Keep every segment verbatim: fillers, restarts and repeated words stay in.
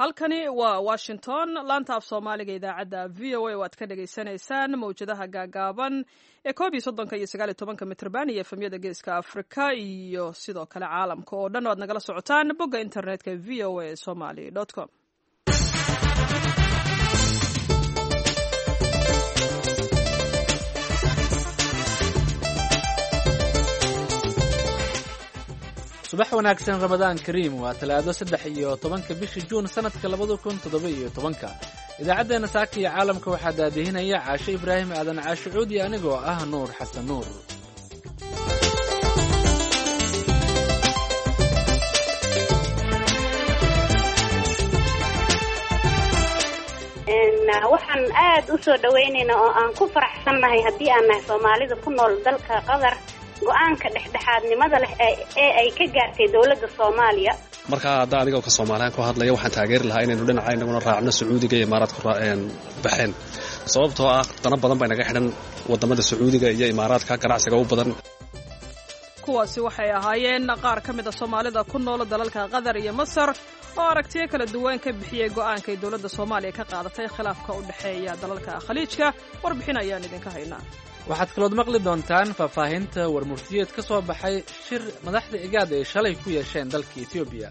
Halkani waa Washington, laanta af Soomaaliga, idaacadda V O A oo aad ka dhagaysanaysaan mawjadaha gaagaaban ee koob iyo soddonka iyo sagaal iyo tobanka mitrban iyo efemyada Geeska Afrika, iyo sidoo kale caalamka oo dhan o aad nagala socotaan bogga internetka V O A somaly com. Subax wanaagsan, Ramadaan kariim. Waa Talaado, saddex iyo tobanka bisha Juun, sanadka labada kun toddoba iyo tobanka. Idaacaddeena saaka iyo caalamka waxaa daadihinaya Caashe Ibraahim Aadan, Caashe Cuudi, anigoo ah Nuur Xasan Nuur. Waxaan aad u soo dhawaynaynaa oo aan ku faraxsannahay, haddii aan nahay Soomaalida ku nool dalka Qatar, go-aanka dhexdhexaadnimada leh ee ay ka gaartay dowladda Soomaaliya. Markaa hadda adigoo ka Soomaaliyan ku hadlaya, waxaan taageeri lahaa inaynu dhinaca inaguna raacno Sacuudiga iyo Imaaraadku baxeen, sababtoo ah dana badan bay naga xidhan wadamada Sacuudiga iyo Imaaraadka, ganacsiga u badan. Kuwaasi waxay ahaayeen qaar ka mid a Soomaalida ku nool dalalka Qatar iyo Masar oo aragtiyo kala duwan ka bixiyey go'aanka ay dowladda Soomaaliya ka qaadatay khilaafka u dhexeeya dalalka Khaliijka. Warbixin ayaan idinka haynaa. Waxaad kalood maqli doontaan faahfaahinta warmurtiyeed ka soo baxay shir madaxda Igaad ay shalay ku yeesheen dalka Etoobiya.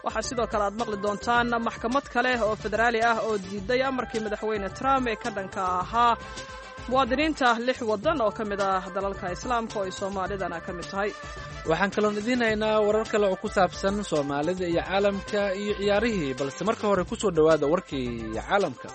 Waxaa sidoo kale aad maqli doontaan maxkamad kale oo federaali ah oo diiday amarkii Madaxweyne Trump ee ka dhanka ahaa muwaadiniinta lix waddan oo ka mid ah dalalka Islaamka, oo ay Soomaalidana ka mid tahay. Waxaan kaloon idiin haynaa warar kale oo ku saabsan Soomaalida iyo caalamka iyo ciyaarihii, balse marka hore ku soo dhowaada warkii caalamka.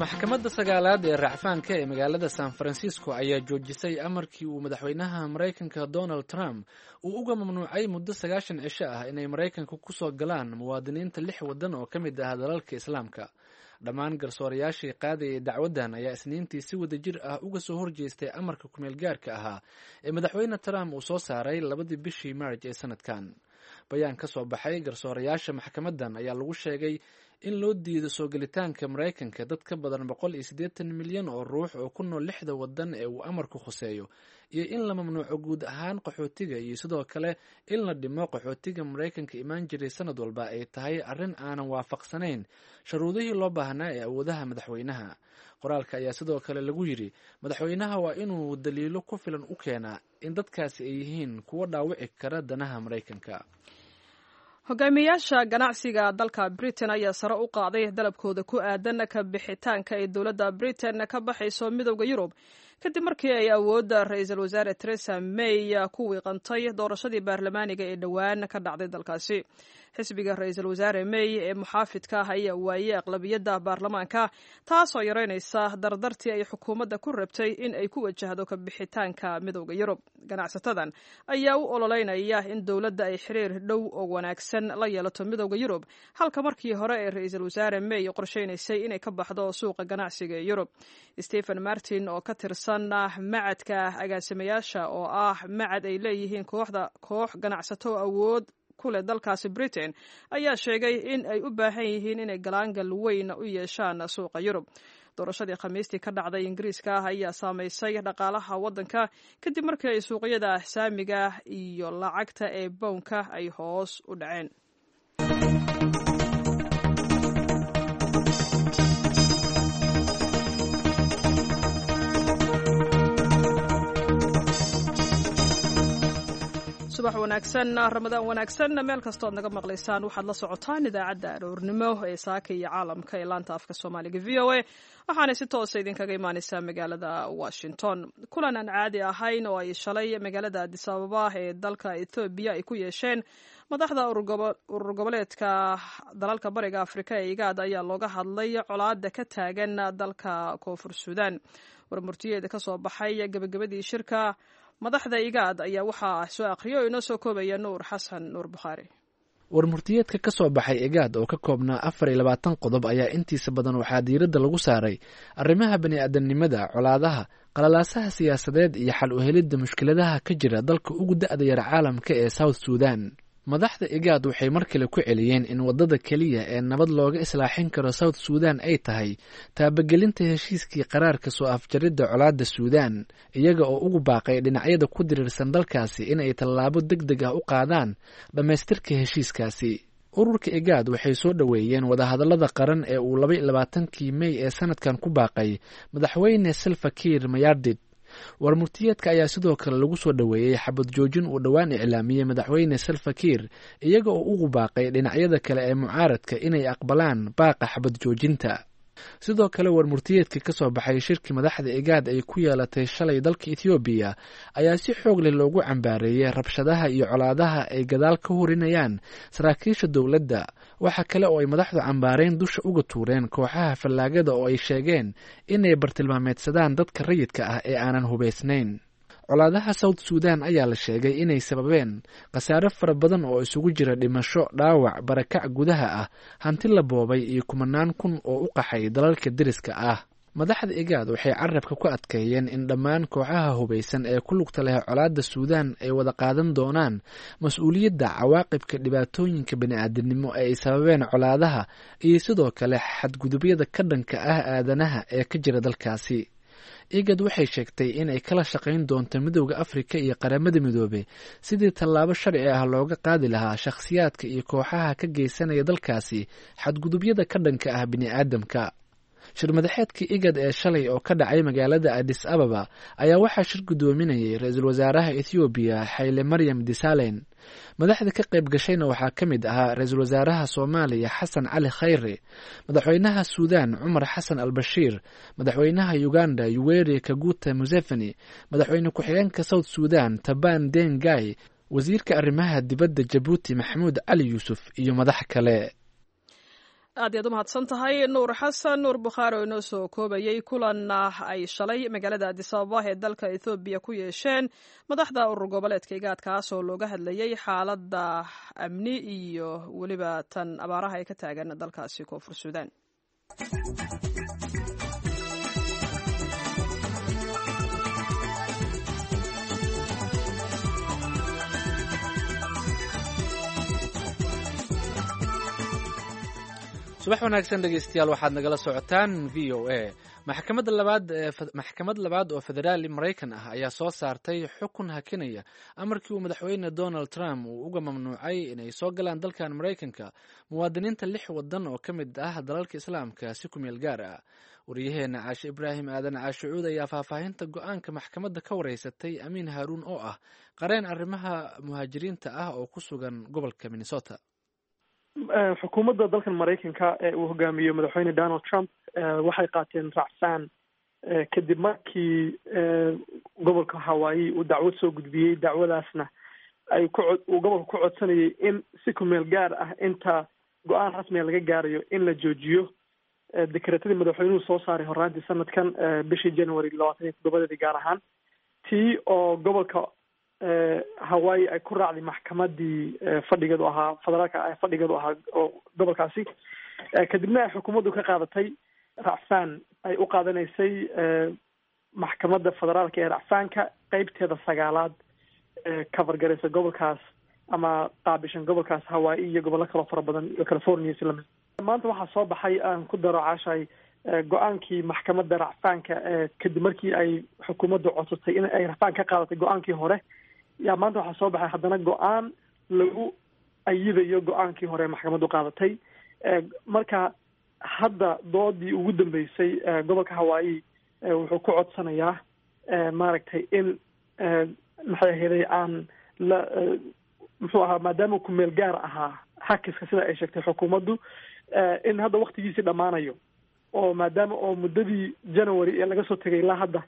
Maxkamadda sagaalaad ee racfaanka ee magaalada San Francisco ayaa joojisay amarkii uu madaxweynaha Maraykanka Donald Trump uu uga mamnuucay muddo sagaashan cisho ah inay Maraykanka kusoo galaan muwaadiniinta lix waddan oo ka mid ah dalalka Islaamka. Dhammaan garsoorayaashii qaadayay dacwaddan ayaa Isniintii si wadajir ah uga soo horjeestay amarka kumeelgaarka ahaa ee Madaxweyne Trump uu soo saaray labadii bishii Maarj ee sanadkan. Bayaan ka soo baxay garsoorayaasha maxkamaddan ayaa lagu sheegay in loo diido soo gelitaanka Maraykanka dad ka badan boqol iyo siddeetan milyan oo ruux oo ku nool lixda waddan ee uu amarku khuseeyo, iyo in la mamnuuco guud ahaan qaxootiga, iyo sidoo kale in la dhimo qaxootiga Maraykanka imaan jiray sanad walba ay tahay arrin aanan waafaqsanayn shuruudihii loo baahnaa ee awoodaha madaxweynaha. Qoraalka ayaa sidoo kale lagu yidhi, madaxweynaha waa inuu daliilo ku filan u keenaa in dadkaasi ay yihiin kuwo dhaawici kara danaha Maraykanka. Hogaamiyayaasha ganacsiga dalka Britain ayaa sare u qaaday dalabkooda ku aadan ka bixitaanka ay dowladda Britain ka baxayso Midowda Yurub, kadib markii ay awoodda Ra-iisul Wasaare Theresa May ku wiiqantay doorashadii baarlamaaniga ee dhowaan ka dhacday dalkaasi. Xisbiga Ra-iisul Wasaare May ee muxaafidka ah ayaa waayey aqlabiyadda baarlamaanka, taasoo yareynaysa dardartii ay xukuumadda ku rabtay in ay ku wajahdo ka bixitaanka Midowda Yurub. Ganacsatadan ayaa u ololeynaya in dowladda ay xiriir dhow oo wanaagsan la yeelato Midowda Yurub, halka markii hore ee Ra-iisul Wasaare May qorsheynaysay inay ka baxdo suuqa ganacsiga ee Yurub. Stephen Martin oo ka tirsan macadka agaasimayaasha, oo ah macad ay leeyihiin kooxda koox ganacsato awood ku leh dalkaasi Britain, ayaa sheegay in ay u baahan yihiin inay galaangal weyn u yeeshaan suuqa Yurub. Doorashadii Khamiistii ka dhacday Ingiriiska ah ayaa saamaysay dhaqaalaha waddanka, kadib markii ay suuqyada saamiga iyo lacagta ee bownka ay hoos u dhaceen. Subax wanaagsan, Ramadaan wanaagsan, meel kastoo ad naga maqlaysaan. Waxaad la socotaan idaacadda aroornimo ee saaka iyo caalamka ee laanta afka Soomaaliga V O A, waxaanay si toosa idinkaga imaaneysaa magaalada Washington. Kulan aan caadi ahayn oo ay shalay magaalada Addis Ababa ee dalka Ethoobiya ay ku yeesheen madaxda urur goboleedka dalalka Bariga Afrika ee Igaad ayaa looga hadlay colaada ka taagan dalka Koonfur Suudaan. Warmurtiyeeda ka soo baxay gebagabadii shirka madaxda Igaad ayaa waxaa soo akhriya oo inoo soo koobaya Nuur Xasan Nuur Bukhaari. Warmurtiyeedka ka soo baxay Igaad oo ka koobnaa afar iyo labaatan qodob ayaa intiisa badan waxaa diiradda lagu saaray arrimaha bani-aadamnimada, colaadaha, qalalaasaha siyaasadeed iyo xal u helidda mushkiladaha ka jira dalka ugu da-da yar caalamka ee South Sudan. Madaxda Igaad waxay mar kale ku celiyeen in waddada keliya ee nabad looga islaaxin karo South Sudan ay tahay taabagelinta heshiiskii qaraarka soo afjaridda colaadda Suudan, iyaga oo ugu baaqay dhinacyada ku diriirsan dalkaasi in ay tallaabo deg deg ah u qaadaan dhammaystirka heshiiskaasi. Ururka Igaad waxay soo dhoweeyeen wadahadallada qaran ee uu laba iyo labaatankii Mey ee sanadkan ku baaqay madaxweyne Salva Kiir Mayardit. Warmurtiyeedka ayaa sidoo kale lagu soo dhoweeyey xabad joojin uu dhowaan iclaamiyey madaxweyne Salva Kiir, iyaga oo ugu baaqay dhinacyada kale ee mucaaradka inay aqbalaan baaqa xabad joojinta. Sidoo kale warmurtiyeedka ka soo baxay shirkii madaxda Igaad ay ku yeelatay shalay dalka Ethoobiya ayaa si xoog leh loogu cambaareeyey rabshadaha iyo colaadaha ay gadaal ka hurinayaan saraakiisha dowladda. Waxa kale oo ay madaxdu cambaareyn dusha uga tuureen kooxaha fallaagada oo ay sheegeen inay bartilmaameedsadaan dadka rayidka ah ee aanan hubaysnayn. Colaadaha South Sudan ayaa la sheegay inay sababeen khasaare fara badan oo isugu jira dhimasho, dhaawac, barakac gudaha ah, hanti la boobay iyo kumanaan kun oo u qaxay dalalka deriska ah. Madaxda Igaad waxay carabka ku adkeeyeen in dhammaan kooxaha hubaysan ee ku lugta leh colaadda Suudan ay wada qaadan doonaan mas-uuliyadda cawaaqibka dhibaatooyinka bini'aadamnimo ee ay sababeen colaadaha iyo sidoo kale xadgudubyada ka dhanka ah aadanaha ee ka jira dalkaasi. Igad waxay sheegtay in ay kala shaqayn doonto Midowda Afrika iyo Qaramada Midoobey sidii tallaabo sharci ah looga qaadi lahaa shakhsiyaadka iyo kooxaha ka geysanaya dalkaasi xadgudubyada ka dhanka ah bini'aadamka. Shirmadaxeedkii Igad ee shalay oo ka dhacay magaalada Addis Ababa ayaa waxaa shir guddoominayay ra-iisul wasaaraha Ethoobiya Xayle Maryam Disalen. Madaxda ka qayb gashayna waxaa ka mid ahaa ra-iisul wasaaraha Soomaaliya Xasan Cali Khayre, madaxweynaha Suudan Cumar Xasan al Bashiir, madaxweynaha Uganda Yoweri Kaguta Museveni, madaxweyne ku-xigeenka South Sudan Taban Deng Gai, wasiirka arrimaha dibadda Jabuuti Maxamuud Cali Yuusuf iyo madax kale. Aad iyaad u mahadsan tahay Nuur Xasan Nuur Bukhaari oo inoo soo koobayey kulan ay shalay magaalada Addis Ababa ee dalka Ethoobiya ku yeesheen madaxda urur goboleedka Igaad, kaas oo looga hadlayey xaaladda amni iyo weliba tan abaaraha ay ka taagan dalkaasi Koonfur Suudaan. Subax wanaagsan dhegeystayaal, waxaad nagala socotaan V O A. Maxkamadda labaad ee maxkamad labaad oo federaali Maraykan ah ayaa soo saartay xukun hakinaya amarkii uu madaxweyne Donald Trump uu uga mamnuucay inay soo galaan dalkan Maraykanka muwaadiniinta lix wadan oo ka mid ah dalalka Islaamka si ku meel gaar ah. Wariyaheena Caashe Ibraahim Aadan Caashe Cuud ayaa faahfaahinta go-aanka maxkamadda ka wareysatay Amiin Haaruun oo ah qareen arrimaha muhaajiriinta ah oo ku sugan gobolka Minnesota. Xukuumadda dalkan Maraykanka ee uu hogaamiyo madaxweyne Donald Trump waxay qaateen racfaan kadib markii gobolka Hawaii uu dacwad soo gudbiyey. Dacwadaasna ay ku uu gobolka ku codsanayay in si ku meel gaar ah inta go-aan rasmiga laga gaarayo in la joojiyo dekreetadii madaxweynuhu soo saaray horraantii sanadkan bishii January labaatan iyo toddobadeedii, gaar ahaan tii oo gobolka Hawaii ay ku raacday maxkamadii fadhigeedu ahaa federaalka fadhigeedu ahaa oo gobolkaasi. Kadibna ay xukuumaddu ka qaadatay racfaan ay u qaadanaysay maxkamadda federaalka ee racfaanka qeybteeda sagaalaad cover garaysa gobolkaas ama qaabishan gobolkaas Hawaii iyo gobollo kaloo fara badan iyo California si lamid. Maanta waxaa soo baxay, aan ku daro Caashay, go-aankii maxkamadda racfaanka kadib markii ay xukuumaddu codsatay in ay racfaan ka qaadatay go-aankii hore. Yaa maanta waxaa soo baxay haddana go-aan lagu ayidayo go-aankii hore maxkamaddu qaadatay. Marka hadda doodii ugu dambeysay gobolka Hawaii wuxuu ku codsanayaa maaragtay in maxay aheeday aan la muxuu ahaa, maadaama ku meel gaar ahaa hakiska sida ay sheegtay xukuumaddu, in hadda waktigiisii dhammaanayo oo maadaama oo muddadii January ee laga soo tegay ilaa hadda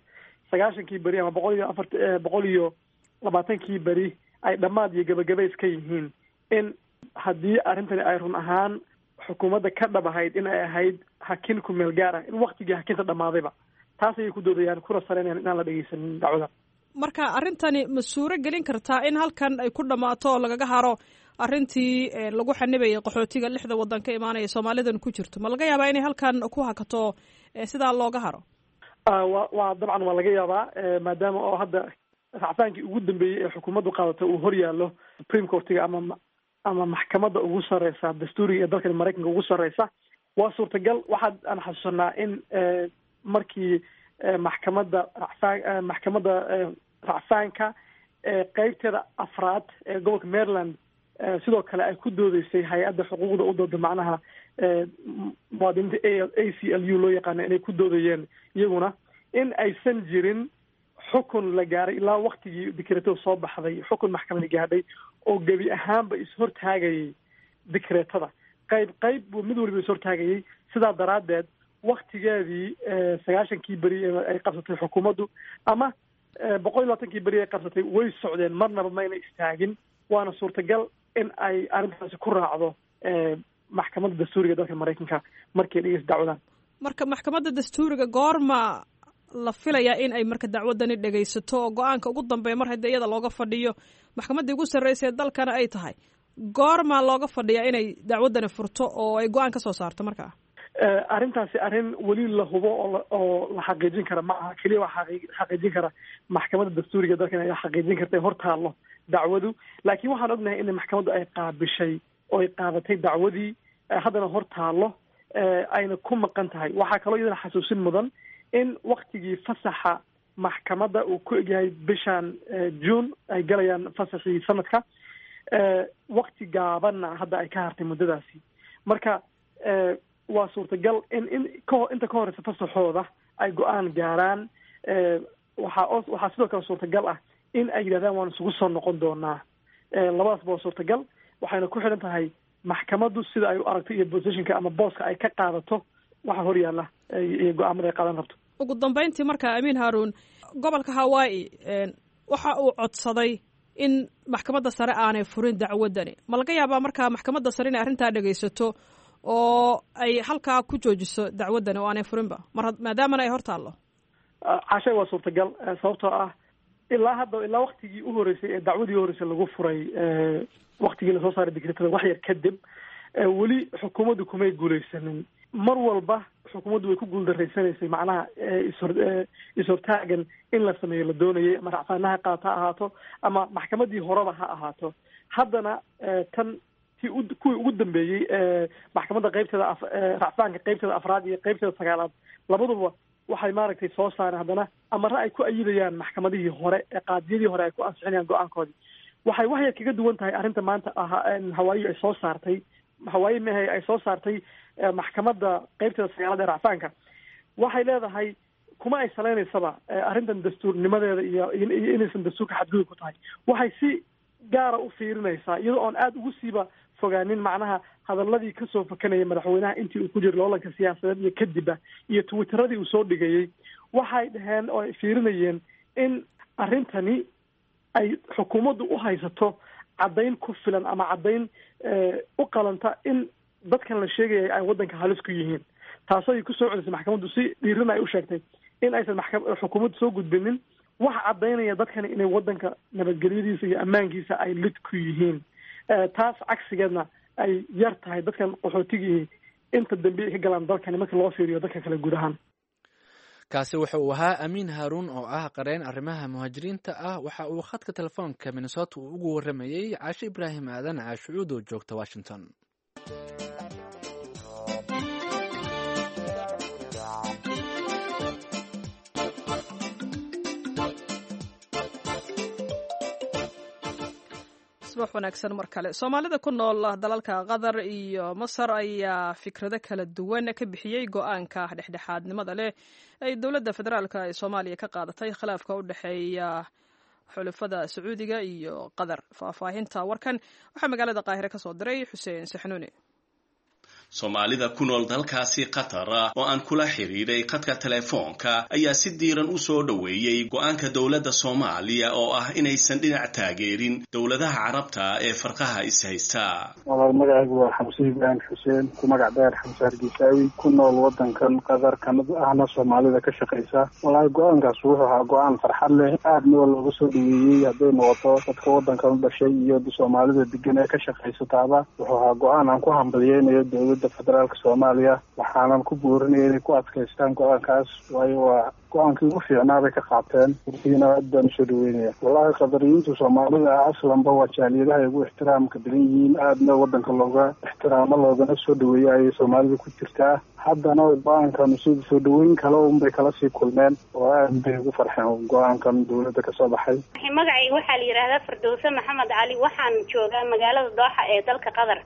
sagaashankii beri ama boqol iyo afart boqol iyo labaatankii beri ay dhammaad iyo gabagabays ka yihiin, in haddii arrintani ay run ahaan xukuumadda ka dhab ahayd in ay ahayd hakin ku meel gaar ah, in waktigii hakinta dhammaadayba, taas ayay ku doodayaan kuna saleynayaan inaan la dhegeysanin dacwada. Marka arrintani ma suuro gelin kartaa in halkan ay ku dhammaato oo lagaga haro arrintii lagu xanibayay qaxootiga lixda waddan ka imaanaya Soomaalidan ku jirto? Ma laga yaabaa inay halkan ku hakato sidaa looga haro? Wa waa dabcan waa laga yaabaa, maadaama oo hadda racfaankii ugu dambeeyey ee xukuumaddu qaadato uu hor yaallo Supreme Courtiga ama ama maxkamadda ugu sarreysa dastuuriga ee dalkan Maraykanka ugu sarreysa. Waa suurtagal. Waxaa aan xasuusanaa in markii maxkamadda racfaan maxkamadda racfaanka qeybteeda afraad ee gobolka Maryland sidoo kale ay ku doodeysay hay-adda xuquuqda u dooda, macnaha muwaadiniinta A C L U loo yaqaano, inay ku doodayeen iyaguna in aysan jirin xukun la gaaray ilaa waktigii dikreetada soo baxday, xukun maxkamadi gaadhay oo gebi ahaanba is-hortaagayay dikreetada. Qayb qayb buu mid waliba is-hortaagayay. Sidaa daraaddeed waktigeedii sagaashankii beri ay qabsatay xukuumaddu ama boqol iyo labaatankii beri ay qabsatay way socdeen, marnaba mayna istaagin. Waana suurtagal in ay arrintaasi ku raacdo maxkamadda dastuuriga dalka Maraykanka markay dhegeysa dacwadan. Marka maxkamadda dastuuriga goorma la filayaa in ay marka dacwadani dhegaysato oo go-aanka ugu dambeeya, mar haddii iyada looga fadhiyo maxkamaddii ugu sarreysa ee dalkana ay tahay, goormaa looga fadhiyaa inay dacwaddani furto oo ay go-aan ka soo saarto markaa? Arrintaasi arrin weli la hubo oo oo la xaqiijin kara ma aha. Keliya waa xaqiijin kara maxkamadda dastuuriga dalkan ayaa xaqiijin karta ee hor taallo dacwadu. Laakiin waxaan ognahay in maxkamaddu ay qaabishay oo ay qaadatay dacwadii, haddana hor taallo ayna ku maqan tahay. Waxaa kaloo iyadana xasuusin mudan in waktigii fasaxa maxkamadda uu ku egyahay bishan June ay galayaan fasaxii sanadka, wakti gaabanna hadda ay ka hartay muddadaasi. Marka waa suurtagal in in kaho inta ka horeysa fasaxooda ay go-aan gaaraan. Waxaa waxaa sidoo kale suurtagal ah in ay yidhahdaan waan isugu soo noqon doonaa. Labadaasba waa suurtagal, waxayna ku xidhan tahay maxkamaddu sida ay u aragto iyo positionka ama booska ay ka qaadato waxa hor yaalla iyo go-aamada ay qaadan rabto. Ugu dambeyntii marka, Amiin Haaruun, gobolka Hawaii waxa uu codsaday in maxkamadda sare aanay furin dacwaddani. Ma laga yaabaa markaa maxkamadda sare inay arrintaa dhegaysato oo ay halkaa ku joojiso dacwaddani oo aanay furinba mar maadaamana ay hor taallo? Cashay, waa suurtagal, sababtoo ah ilaa hadda, ilaa waktigii u horeysay ee dacwadii uhoreysay lagu furay, waktigii lasoo saaray dikreetada wax yar kadib, weli xukuumaddu kumay guuleysanin. Mar walba xukuumaddu way ku guuldareysanaysay, macnaha ishor is-hortaagan in la sameeyo la doonayay, ama racfaanaha qaata ha ahaato ama maxkamaddii horeba ha ahaato. Haddana tan ti kuwii ugu dambeeyey maxkamadda qeybteeda racfaanka qeybteeda afraad iyo qeybteeda sagaalaad labaduba waxay maaragtay soo saareen haddana amare ay ku ayidayaan maxkamadihii hore ee qaadiyadii hore ay ku ansixinayaan go-aankoodii. Waxay wax yar kaga duwan tahay arrinta maanta ahaa Hawaayi ay soo saartay, Hawaayi mehe ay soo saartay maxkamadda qeybteeda sagaalaad ee racfaanka, waxay leedahay kuma ay saleynaysaba arrintan dastuurnimadeeda iyo iyo inaysan dastuurka xadgudub ku tahay. Waxay si gaara u fiirinaysaa, iyadoo oon aada ugu siiba fogaanin macnaha hadaladii kasoo fakanayay madaxweynaha intii uu ku jiro loolanka siyaasadeed iyo kadibba iyo twitteradii uu soo dhigayey, waxay dhaheen oo ay fiirinayeen in arrintani ay xukuumaddu u haysato caddayn ku filan ama caddayn u qalanta in dadkan la sheegayay ay waddanka halis ku yihiin. Taasoo ay kusoo celisay maxkamaddu, si dhiirana ay u sheegtay in aysan maxka xukuumaddu soo gudbinin wax caddaynaya dadkani inay waddanka nabadgelyadiisa iyo ammaankiisa ay lid ku yihiin. Taas cagsigeedna ay yar tahay dadkan qaxootigii inta dambe ay ka galaan dalkani marka loo fiiriyo dadka kale guud ahaan. Kaasi wuxa uu ahaa Amiin Haaruun oo ah qareen arrimaha muhaajiriinta ah. Waxa uu khadka telefoonka Minnesota uu ugu warramayey Caashe Ibraahim Aadan Caashucuud oo joogta Washington. Subax wanaagsan mar kale. Soomaalida ku nool dalalka Qatar iyo Masar ayaa fikrado kala duwan ka bixiyey go-aanka dhexdhexaadnimada leh ay dowladda federaalka ee Soomaaliya ka qaadatay khilaafka u dhexeeya xulafada Sacuudiga iyo Qatar. Faahfaahinta warkan waxaa magaalada Qaahire ka soo diray Xuseen Saxnuuni. Soomaalida ku nool dalkaasi Qatar oo aan kula xiriiray khadka telefoonka ayaa si diiran u soo dhoweeyey go'aanka dowladda Soomaaliya oo ah inaysan dhinac taageerin dowladaha Carabta ee farqaha is-haysta. Walaal, magacaygu waa Xamse Ibraahim Xuseen, ku magac dheer Xamse Hargeysaawi, ku nool wadankan Qatar, kamid ahna Soomaalida ka shaqaysa. Walaal, go-aankaas wuxuu ahaa go-aan farxad leh, aadna waa looga soo dhoweeyey hadday noqoto dadka wadankan u dhashay iyo Soomaalida degan ee ka shaqaysataaba. Wuxuu ahaa go-aan aan ku hambaliyeynayo dowladda federaalka Soomaaliya, waxaanan ku boorinaya inay ku adkaystaan go-aankaas, waayo waa Go-aankii ugu fiicnaa bay ka qaateen, runtiina aad baan usoo dhaweynaya. Wallahi qadariyiintu soomaalida aslanba waa jaaliyadaha ay ugu ixtiraamka badan yihiin, aadna wadanka looga ixtiraamo loogana soo dhaweeyo ayay soomaalida ku jirtaa. Haddana go-aankan sida soo dhaweyn kale unbay kala sii kulmeen oo aad bay ugu farxeen go-aankan dowladda kasoo baxay. Magacayga waxaa la yidhaahdaa Firdowse Maxamed Cali, waxaan joogaa magaalada Dooxa ee dalka Qatar.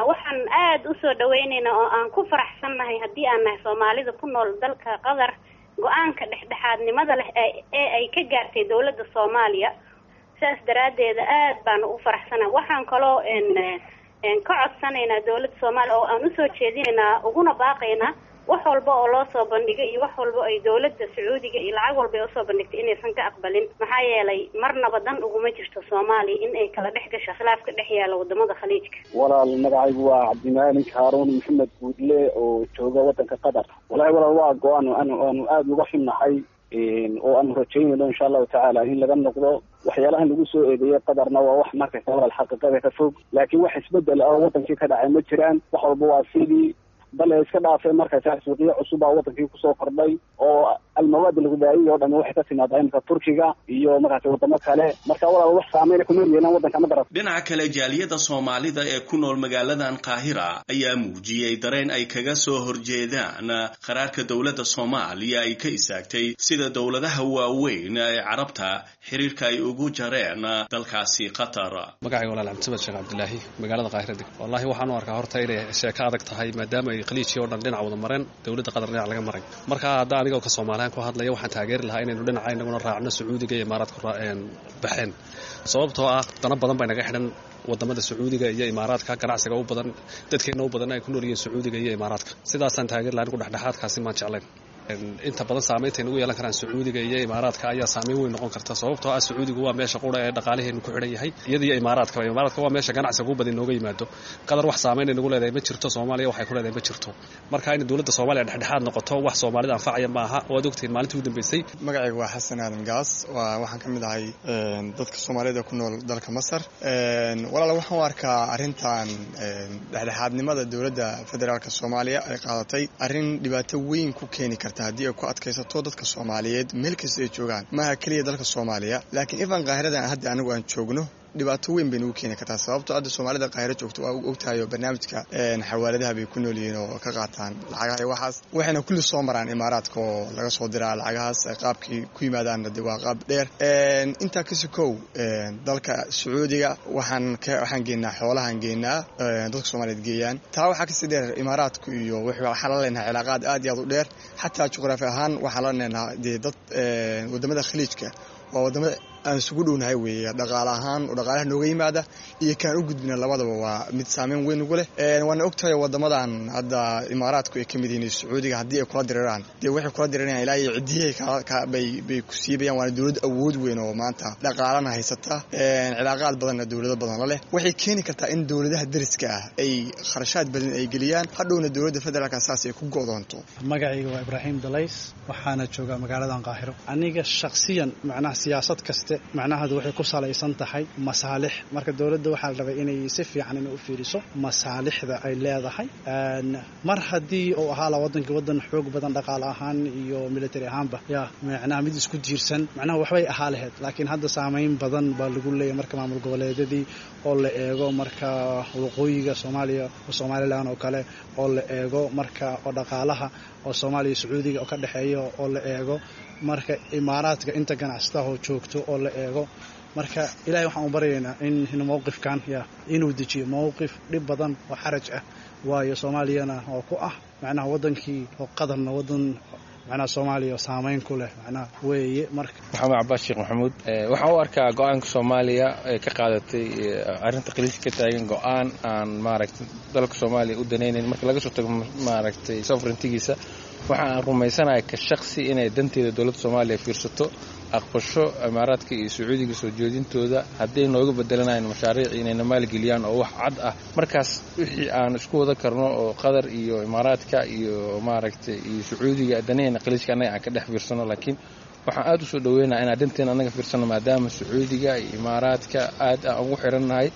Waxaan aada usoo dhaweyneynaa oo aan ku faraxsannahay haddii aan nahay soomaalida ku nool dalka Qatar go-aanka dhexdhexaadnimada leh ee ay ka gaartay dowladda Soomaaliya. Saas daraaddeeda aad baanu u faraxsanahay. Waxaan kaloo ka codsanaynaa dowladda Soomaaliya oo aan usoo jeedinaynaa uguna baaqaynaa wax walba oo loo soo bandhigay iyo wax walba ay dowladda Sacuudiga iyo lacag walba ay usoo bandhigtay inaysan ka aqbalin. Maxaa yeelay marnaba dan uguma jirto Soomaaliya in ay kala dhex gasho khilaafka dhex yaala wadamada Khaliijka. Walaal magacaygu waa Cabdimaalik Haaruun Maxamed Guudle oo jooga wadanka Qatar. Walahi walaal waa go-aan aanu aanu aada uga xunnahay oo aanu rajaynayno insha allahu tacaala in laga noqdo. Waxyaalahan lagu soo eedeeyay Qatarna waa wax marka walaal xaqiiqada ka fog, laakiin wax isbedel ah oo wadankii ka dhacay ma jiraan. Wax walba waa sidii bale iska dhaafay. Markaas suuqyo cusub baa wadankii kusoo kordhay oo almawaad alghidaa'iya oo dhan waxay ka timaadaa imika Turkiga iyo markaas wadamo kale. Marka walaal wax saameyn kuma yeelan wadanka ma garat. Dhinaca kale jaaliyada Soomaalida ee ku nool magaaladan Qaahira ayaa muujiyey dareen ay kaga soo horjeedaan qaraarka dowladda Soomaaliya ay ka istaagtay sida dowladaha waaweyn ee Carabta xiriirka ay ugu jareen dalkaasi Qatar. Magacayga walaal Cabdisamad Sheekh Cabdilaahi, magaalada Qaahira deg. Wallahi waxaan u arkaa horta inay sheeko adag tahay maadaama ay khaliijkii oo dhan dhinac wada mareen, dowladda Qatar dhinac laga maray. Marka hadda anigoo ka Soomaaliyan ku hadlaya waxaan taageeri lahaa inaynu dhinaca inaguna raacno Sacuudiga iyo Imaaraadka baxeen, sababtoo ah dana badan bay naga xidhan wadamada Sacuudiga iyo Imaaraadka, ganacsiga u badan dadkeena u badan ay ku nool yihiin Sacuudiga iyo Imaaraadka. Sidaasaan taageeri lahaa, anigu dhexdhexaadkaasi maan jeclayn. Inta badan saameynta ay nagu yeelan karaan Sacuudiga iyo Imaaraadka ayaa saameyn weyn noqon karta, sababtoo ah Sacuudigu waa meesha qura ee dhaqaalaheenu ku xidhan yahay, iyada iyo Imaaraadka. Imaaraadka waa meesha ganacsiga ugu badan inooga yimaado. Qatar wax saameyn ay nagu leedahay ma jirto, Soomaaliya waxay ku leedahay ma jirto. Marka in dowladda Soomaaliya dhexdhexaad noqoto wax Soomaalida anfacaya ma aha. Waad ogtihiin maalintii ugu dambeysay. Magacaygu waa Xasan Aadan Gaas, waa waxaan ka mid ahay dadka Soomaalida ku nool dalka Masar. Walaal waxaan u arkaa arrintan dhexdhexaadnimada dowladda federaalka Soomaaliya ay qaadatay arrin dhibaato weyn ku keeni karta haddii ay ku adkaysato dadka Soomaaliyeed meel kasta ay joogaan, maaha keliya dalka Soomaaliya, laakiin ifan Qaahiradan hadda anigu aan joogno dhibaato weyn bay nagu keeni kartaa. Sababtoo hadda Soomaalida Qaahiro joogto waa ogtahay oo barnaamijka xawaaladaha bay ku nool yihiin oo ka qaataan lacagaha iyo waxaas, waxayna kulli soo maraan Imaaraadka oo laga soo diraa lacagahaas. Qaabkii ku yimaadaanna dee waa qaab dheer. Intaa kasi kow dalka Sacuudiga waxaan waxaan geynaa xoolahan geynaa dadka Soomaaliyeed geeyaan. Taa waxaa kasii dheer Imaaraadku iyo waxaan la leenahay cilaaqaad aad iyo aad u dheer, xataa juqraafi ahaan waxaan la leenahay dee dad wadamada Khaliijka waa wadamada aan isugu dhownahay weeye dhaqaale ahaan oo dhaqaalaha nooga yimaada iyo kaan u gudbina labadaba waa mid saameyn weyn ugu leh. Waana ogtahay wadamadan hadda Imaaraadku ay ka mid yihiin Sacuudiga haddii ay kula diriraan dee waxay kula dirirayaan ilaa iyo cidiyahay bay bay ku siibayaan. Waana dowlad awood weyn oo maanta dhaqaalana haysata, cilaaqaad badanna dowlado badan la leh. Waxay keeni kartaa in dowladaha deriska ah ay kharashaad badan ay geliyaan, hadhowna dowladda federaalka saas ay ku go'doonto. Magacayga waa Ibraahim Dalays, waxaana joogaa magaaladan Qaahiro. Aniga shakhsiyan macnaha siyaasad kasta macnaheedu waxay ku salaysan tahay masaalix. Marka dowladda waxaa la rabay inay si fiican inay u fiiriso masaalixda ay leedahay. Mar haddii uu ahaa la wadankii wadan xoog badan dhaqaale ahaan iyo military ahaanba, ya macnaha mid isku tiirsan macnaha waxbay ahaa lahayd, laakiin hadda saameyn badan baa lagu leeyahay. Marka maamul goboleedyadii oo la eego, marka waqooyiga Soomaaliya oo Somaliland oo kale oo la eego, marka oo dhaqaalaha oo Soomaaliya Sacuudiga oo ka dhexeeya oo la eego, marka Imaaraadka inta ganacsatada oo joogto oo la eego. Marka Ilaahay waxaan u baryaynaa in in mowqifkan ya inuu dejiyo mowqif dhib badan oo xaraj ah, waayo Soomaaliyana oo ku ah macnaha wadankii oo qadarna wadan macnaha Soomaaliya saameyn ku leh macnaha weeye. Marka Maxamed Cabbaas Sheekh Maxamuud, waxaan u arkaa go'aanka Soomaaliya ee ka qaadatay arrinta khaliijka ka taagan go'aan aan maaragtay dalka Soomaaliya u danaynayn. Marka laga soo tago maaragtay sovereigntigiisa, waxa aan rumaysanahay ka shakhsi inay danteeda dowladda Soomaaliya fiirsato, aqbasho Imaaraadka iyo Sacuudiga soo jeedintooda hadday nooga bedelanayaan mashaariic inayna maalgeliyaan oo wax cad ah. Markaas wixii aan isku wada karno oo Qatar iyo Imaaraadka iyo maaragtay iyo Sacuudiga danayna khaliijka annaga aan ka dhex fiirsano, laakiin waxaan aad u soo dhaweynayaa inaan dhanteena annaga fiirsano, maadaama Sacuudiga iyo Imaaraadka aad aan ugu xirannahay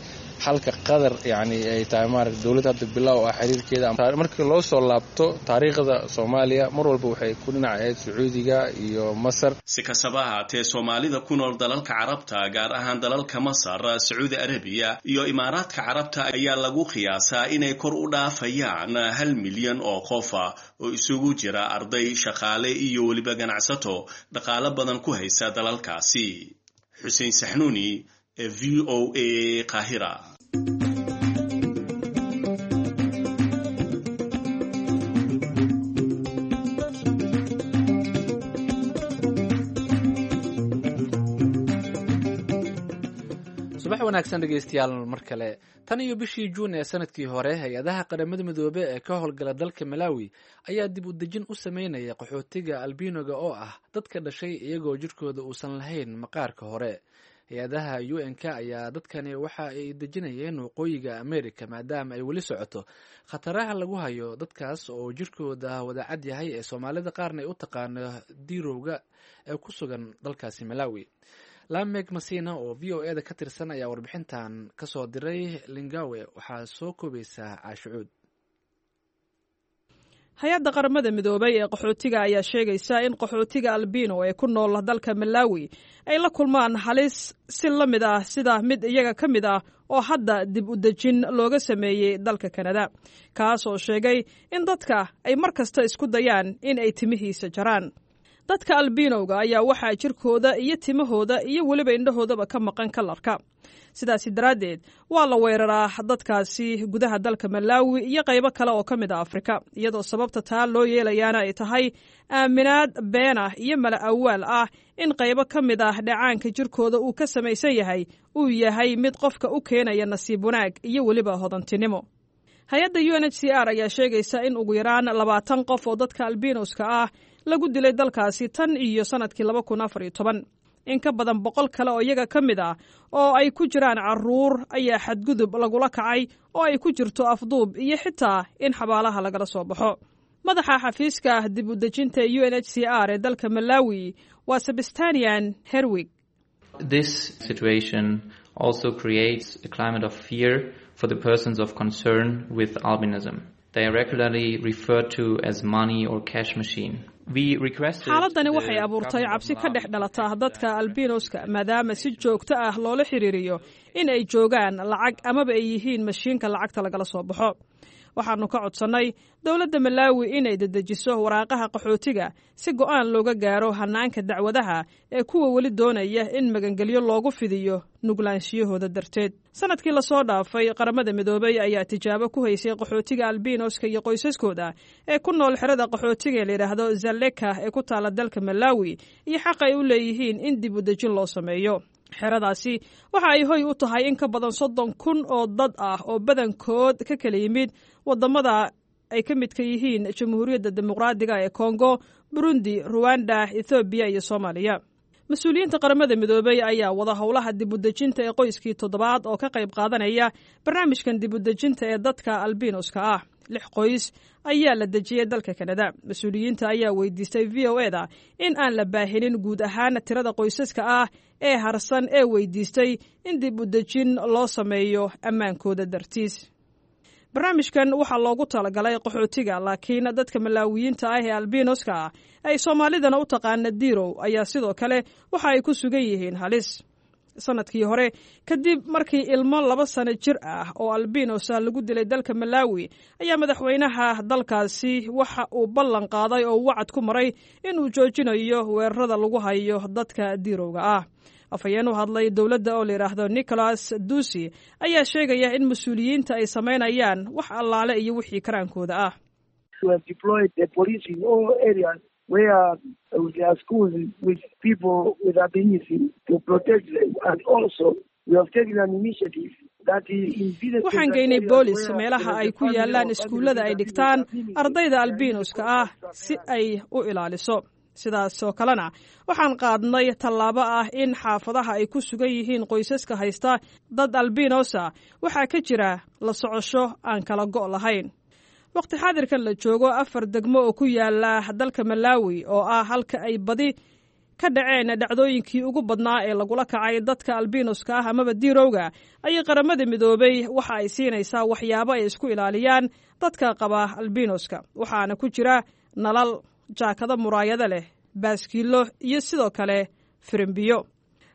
Halka Qatar yani ay tahay maaragtay dowlad hadda bilow ah xiriirkeeda. Markii loo soo laabto taariikhda Soomaaliya, mar walba waxay ku dhinac ahayd Sacuudiga iyo Masar. Si kastaba ahaatee, Soomaalida ku nool dalalka Carabta, gaar ahaan dalalka Masar, Sacuudi Arabiya iyo Imaaraadka Carabta, ayaa lagu qiyaasaa inay kor u dhaafayaan hal milyan oo qofa oo isugu jira arday, shaqaale iyo weliba ganacsato dhaqaalo badan ku haysa dalalkaasi. Xuseen Saxnuuni, V O A, Qaahira. Subax wanaagsan dhegeystayaal mar kale. Tan iyo bishii Juun ee sanadkii hore, hay-adaha Qaramada Midoobe ee ka howlgala dalka Malawi ayaa dib u dejin u sameynaya qaxootiga albinoga, oo ah dadka dhashay iyagoo jirkooda uusan lahayn maqaarka hore. Hay-adaha U N K ayaa dadkani waxa ay dejinayeen Waqooyiga America, maadaama ay weli socoto khataraha lagu hayo dadkaas oo jirkooda wadacad yahay, ee Soomaalida qaarna ay u taqaano diirowga, ee ku sugan dalkaasi Malawi. Lamek Masina oo V O E da ka tirsan ayaa warbixintan kasoo diray Lilongwe. Waxaa soo koobaysaa Caashucuud. Hay-adda Qaramada Midoobay ee qaxootiga ayaa sheegaysa in qaxootiga albino ee ku nool dalka Malawi ay la kulmaan halis si la mid ah sida mid iyaga ka mid ah oo hadda dib u dejin looga sameeyey dalka Kanada, kaas oo sheegay in dadka ay mar kasta isku dayaan in ay timihiisa jaraan. Dadka albinowga ayaa waxaa jirkooda iyo timahooda iyo weliba indhahoodaba ka maqan kalarka. Sidaasi daraaddeed waa la weeraraa dadkaasi gudaha dalka Malawi iyo qaybo kale oo ka mid ah Afrika, iyadoo sababta taa loo yeelayaana ay tahay aaminaad been ah iyo mala awaal ah in qaybo ka mid ah dheecaanka jirkooda uu ka samaysan yahay uu yahay mid qofka u keenaya nasiib wanaag iyo weliba hodantinimo. Hay-adda U N H C R ayaa sheegaysa in ugu yaraan labaatan qof oo dadka albinoska ah lagu dilay dalkaasi tan iyo sanadkii laba kun afar iyo toban. In ka badan boqol kale oo iyaga ka mid ah, oo ay ku jiraan caruur, ayaa xadgudub lagula kacay, oo ay ku jirto afduub iyo xitaa in xabaalaha lagala soo baxo. Madaxa xafiiska dib u dejinta U N H C R ee dalka Malawi waa Sebastian Herwig. This situation also creates a climate of fear for the persons of concern with albinism. They are regularly referred to as money or cash machine. Xaaladani waxay abuurtay cabsi ka dhex dhalata dadka albinoska, maadaama si joogto ah loola xiriiriyo in ay joogaan lacag amaba ay yihiin mashiinka lacagta lagala soo baxo. Waxaanu ka codsannay dowladda Malawi inay dedejiso waraaqaha qaxootiga si go'aan looga gaaro hanaanka dacwadaha ee kuwa weli doonaya in magangelyo loogu fidiyo nuglaanshiyahooda darteed. Sanadkii lasoo dhaafay, Qaramada Midoobay ayaa tijaabo ku haysay qaxootiga albinoska iyo qoysaskooda ee ku nool xerada qaxootiga ee layidhaahdo Zaleka ee ku taala dalka Malawi iyo xaq ay u leeyihiin in dib u dejin loo sameeyo. Xeradaasi waxa ay hoy u tahay in ka badan soddon kun oo dad ah oo badankood ka kala yimid wadamada ay ka midka yihiin Jamhuuriyadda Dimuqraadiga ee Kongo, Burundi, Ruwanda, Ethoobiya iyo Soomaaliya. Mas-uuliyiinta Qaramada Midoobay ayaa wada howlaha dib u dejinta ee qoyskii toddobaad oo ka qayb qaadanaya barnaamijkan dib u dejinta ee dadka albinoska ah. Lix qoys ayaa la dejiyey dalka Kanada. Mas-uuliyiinta ayaa weydiistay V O E da in aan la baahinin guud ahaan tirada qoysaska ah ee harsan ee weydiistay in dib u dejin loo sameeyo ammaankooda dartiis. Barnaamijkan waxaa loogu talagalay qaxootiga, laakiin dadka Malaawiyiinta ah ee albinoska ah, ay Soomaalidana u taqaana dirow, ayaa sidoo kale waxa ay ku sugan yihiin halis. Sanadkii hore, kadib markii ilmo laba sano jir ah oo albinosa lagu dilay dalka Malawi, ayaa madaxweynaha dalkaasi waxa uu ballan qaaday oo wacad ku maray inuu joojinayo weerarada lagu hayo dadka dirowga ah. Afhayeen u hadlay dowladda oo layidhaahdo Nicholas Dusi ayaa sheegaya in mas-uuliyiinta ay samaynayaan wax allaale iyo wixii karaankooda ah. Where there are schools with people with albinism to protect them. And also, we have taken an initiative. Waxaan geynay boolis meelaha ay ku yaalaan iskuullada ay dhigtaan ardayda albinoska ah si ay u ilaaliso. Sidaas oo kalena waxaan qaadnay tallaabo ah in xaafadaha ay ku sugan yihiin qoysaska haysta dad albinosa waxaa ka jira la socosho aan kala go' lahayn. Waqti xaadirkan la joogo, afar degmo oo ku yaala dalka Malawi, oo ah halka ay badi ka dhaceen dhacdooyinkii ugu badnaa ee lagula kacay dadka albinoska ah amaba diirowga, ayay Qaramada Midoobay waxa ay siinaysaa waxyaabo ay isku ilaaliyaan dadka qaba albinoska, waxaana ku jira nalal, jaakado muraayado leh, baaskiilo iyo sidoo kale firimbiyo.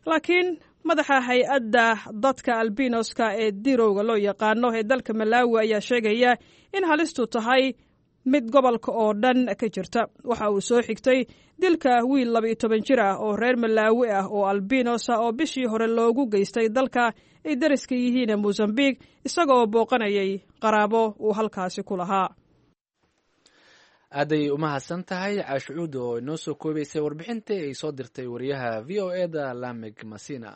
Laakiin madaxa hay-adda dadka albinoska ee diirowga loo yaqaano ee dalka Malawi ayaa sheegaya in halistu tahay mid gobolka oo dhan ka jirta. Waxa uu soo xigtay dilka wiil laba-iyo toban jir ah oo reer Malaawi ah oo albinos ah oo bishii hore loogu geystay dalka ay dariska yihiin Mosambik, isaga oo booqanayay qaraabo uu halkaasi ku lahaa. Aaday umahadsan tahay Caashucuud oo inoo soo koobaysay warbixintii ay soo dirtay wariyaha V O E da Lamig Masina.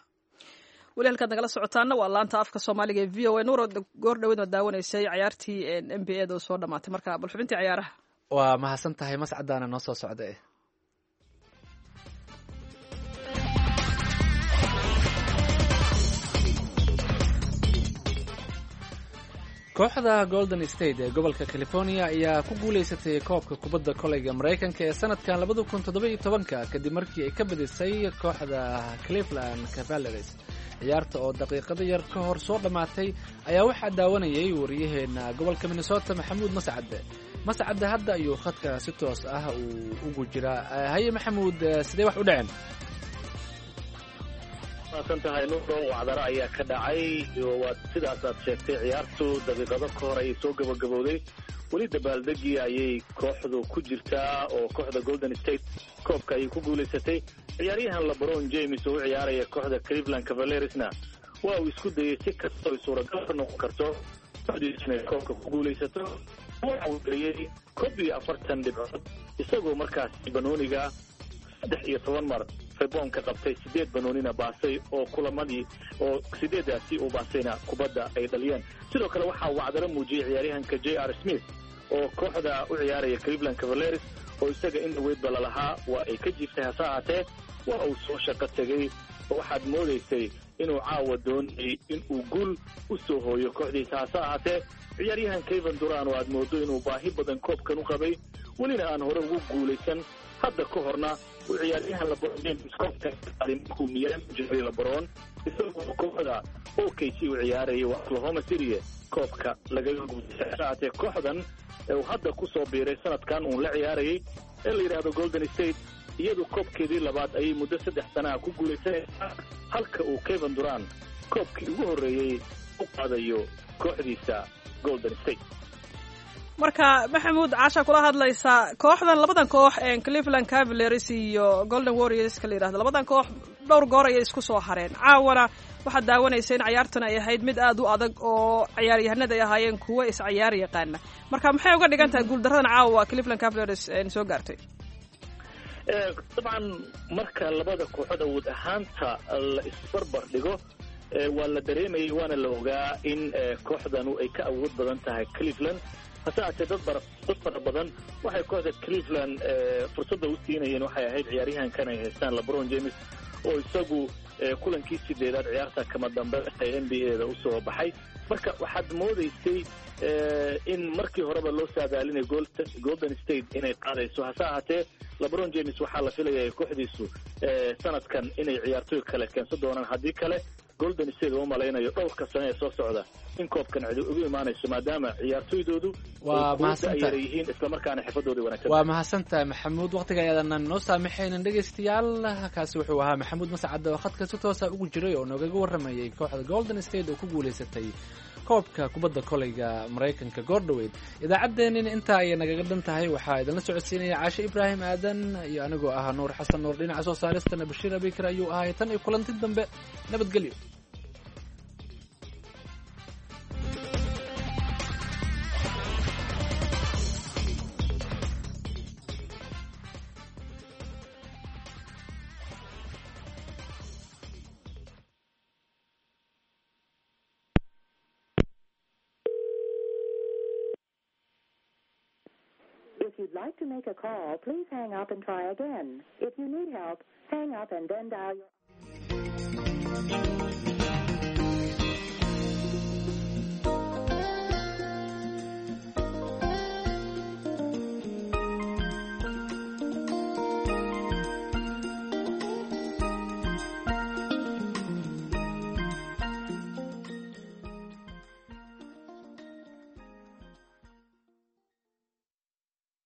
Weli halkaad nagala socotaana waa laanta afka Soomaaliga ee V O A. Nuuro, goor dhaweyd ma daawanaysay cayaartii N B A da oo soo dhamaatay? Marka bal xubintii cayaaraha. Waa mahadsan tahay, mascadaana noo soo socda. Kooxda Golden State ee gobolka California ayaa ku guulaysatay koobka kubadda koleyga Maraykanka ee sanadkan labada kun toddoba iyo tobanka, kadib markii ay ka badisay kooxda Cleveland Cavaliers. Ciyaarta oo daqiiqado yar ka hor soo dhammaatay ayaa waxaa daawanayay wariyaheena gobolka Minnesota, Maxamuud Mascade. Mascade hadda ayuu khadka si toos ah uu ugu jiraa. Haye Maxamuud, sidee wax u dhaceen? Maasan tahay Nuuro. Wacdaro ayaa ka dhacay. Waa sidaas aad sheegtay, ciyaartu daqiiqado ka hor ayay soo gabagabowday. Weli dabaaldegii ayay kooxdu ku jirtaa oo kooxda Golden State koobka ayay ku guulaysatay. Ciyaaryahan LeBron James oo u ciyaaraya kooxda Cleveland Cavaliersna waa uu isku dayay si kastoo ay suuragal ka noqon karto kooxdiisu inay koobka ku guulaysato. Waxa uu geliyey koob iyo afartan dhibcood, isagoo markaasi banooniga saddex iyo toban mar reboonka qabtay, sideed banoonina baasay, oo kulamadii oo sideedaasi uu baasayna kubadda ay dhaliyeen. Sidoo kale waxaa wacdaro muujiyey ciyaaryahanka J R Smith oo kooxda u ciyaaraya Cleveland Cavaliers, oo isaga in dhaweydba lalahaa waa ay ka jiiftay, hase ahaatee waa uu soo shaqo tegey oo waxaad moodaysay inuu caawa doonayay in uu guul u soo hooyo kooxdiisa. Hase ahaatee ciyaaryahan Kevin Durant oo aad moodo inuu baahi badan koobkan u qabay, welina aan hore ugu guulaysan, hadda ka horna uu ciyaaryahan LeBron James koobka markuu Miami jiray LeBron isagoo kooxda O K C u ciyaarayay waa Oklahoma City koobka lagaga guulaystay. Hase ahaatee kooxdan uu hadda ku soo biiray sanadkan uun la ciyaarayay ee la yidhaahdo Golden State, iyadu koobkeedii labaad ayay muddo saddex sanaha ku guulaysanaysaa, halka uu Kevin Durant koobkii ugu horreeyey u qaadayo kooxdiisa Golden State. Marka Maxamuud, Caasha kula hadlaysaa. Kooxdan, labadan koox, Cleveland Cavaliers iyo Golden Warriors ka la yidhahdo, labadan koox dhowr goor ayay isku soo hareen. Caawana waxaad daawanaysa in cayaartan ay ahayd mid aad u adag oo ciyaaryahanada ay ahaayeen kuwo is cayaar yaqaana. Marka maxay uga dhigan tahay guuldaradan caawa Cleveland Cavaliers soo gaartay? Dabcan marka labada kooxood awood ahaanta la isbarbar dhigo, waa la dareemayay waana la ogaa in kooxdanu ay ka awood badan tahay Cleveland. Hase ahaatee dad bara dad fara badan waxay kooxda Cleveland fursadda u siinayeen waxay ahayd ciyaaryahankan ay haystaan LeBron James, oo isagu kulankii sideedaad ciyaarta kama dambe ee N B A da usoo baxay. Marka waxaad moodaysay in markii horeba loo saadaalinay Golden State inay qaadayso. Hase ahaatee LeBron James waxaa la filayaa kooxdiisu sanadkan inay ciyaartoy kale keensan doonaan, haddii kale Golden State oo malaynayo dhowrka sano ee soo socda in koobkan cidi ugu imaanayso, maadaama ciyaartoydoodu waa mahadsantahay yihiin islamarkaana xirfadooda wanaagsan. Waa mahadsantahay Maxamuud, waqtiga ayaadan noo saamaxaynin. Dhegaystayaal, kaasi wuxuu ahaa Maxamuud Mascad oo khadka si toosa ugu jiray oo noogaga warramayay kooxda Golden State oo ku guulaysatay koobka kubadda koleyga Maraykanka goordhoweyd. Idaacaddeenina intaa ayay nagaga dhan tahay. Waxaa idinla socodsiinaya Caashe Ibraahim Aadan iyo anigoo ah Nuur Xasan Nuur. Dhinaca soo saaristana Bashiir Abikar ayuu ahay. Tan iyo kulanti dambe, nabadgelyo. If you'd like to make a call, please hang up and try again. If you need help, hang up and then dial your